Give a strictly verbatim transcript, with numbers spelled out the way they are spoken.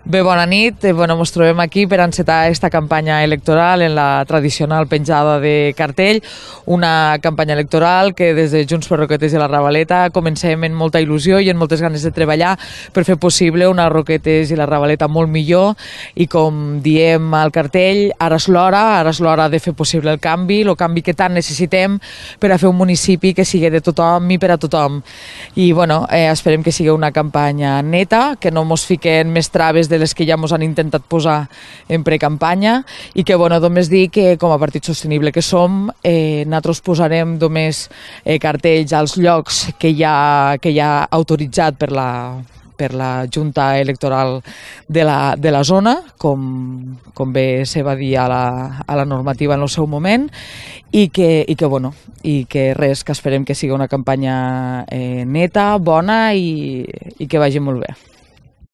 Bé, bona nit. Eh, bueno, ens trobem aquí per encetar aquesta campanya electoral en la tradicional penjada de cartell, una campanya electoral que des de Junts per Roquetes i la Ravaleta comencem amb molta il·lusió i amb moltes ganes de treballar per fer possible una Roquetes i la Ravaleta molt millor i, com diem al cartell, ara és l'hora, ara és l'hora de fer possible el canvi, el canvi que tant necessitem per a fer un municipi que sigui de tothom i per a tothom. I bueno, eh, esperem que sigui una campanya neta, que no mos fiquen més traves de les que ja ens han intentat posar en precampanya i que, bueno, només dir que com a partit sostenible que som, eh, nosaltres posarem només eh, cartells als llocs que ja, que ja autoritzat per la, per la Junta Electoral de la, de la zona, com, com bé se va dir a la, a la normativa en el seu moment, i que, i que, bueno, i que res, que esperem que sigui una campanya eh, neta, bona i, i que vagi molt bé.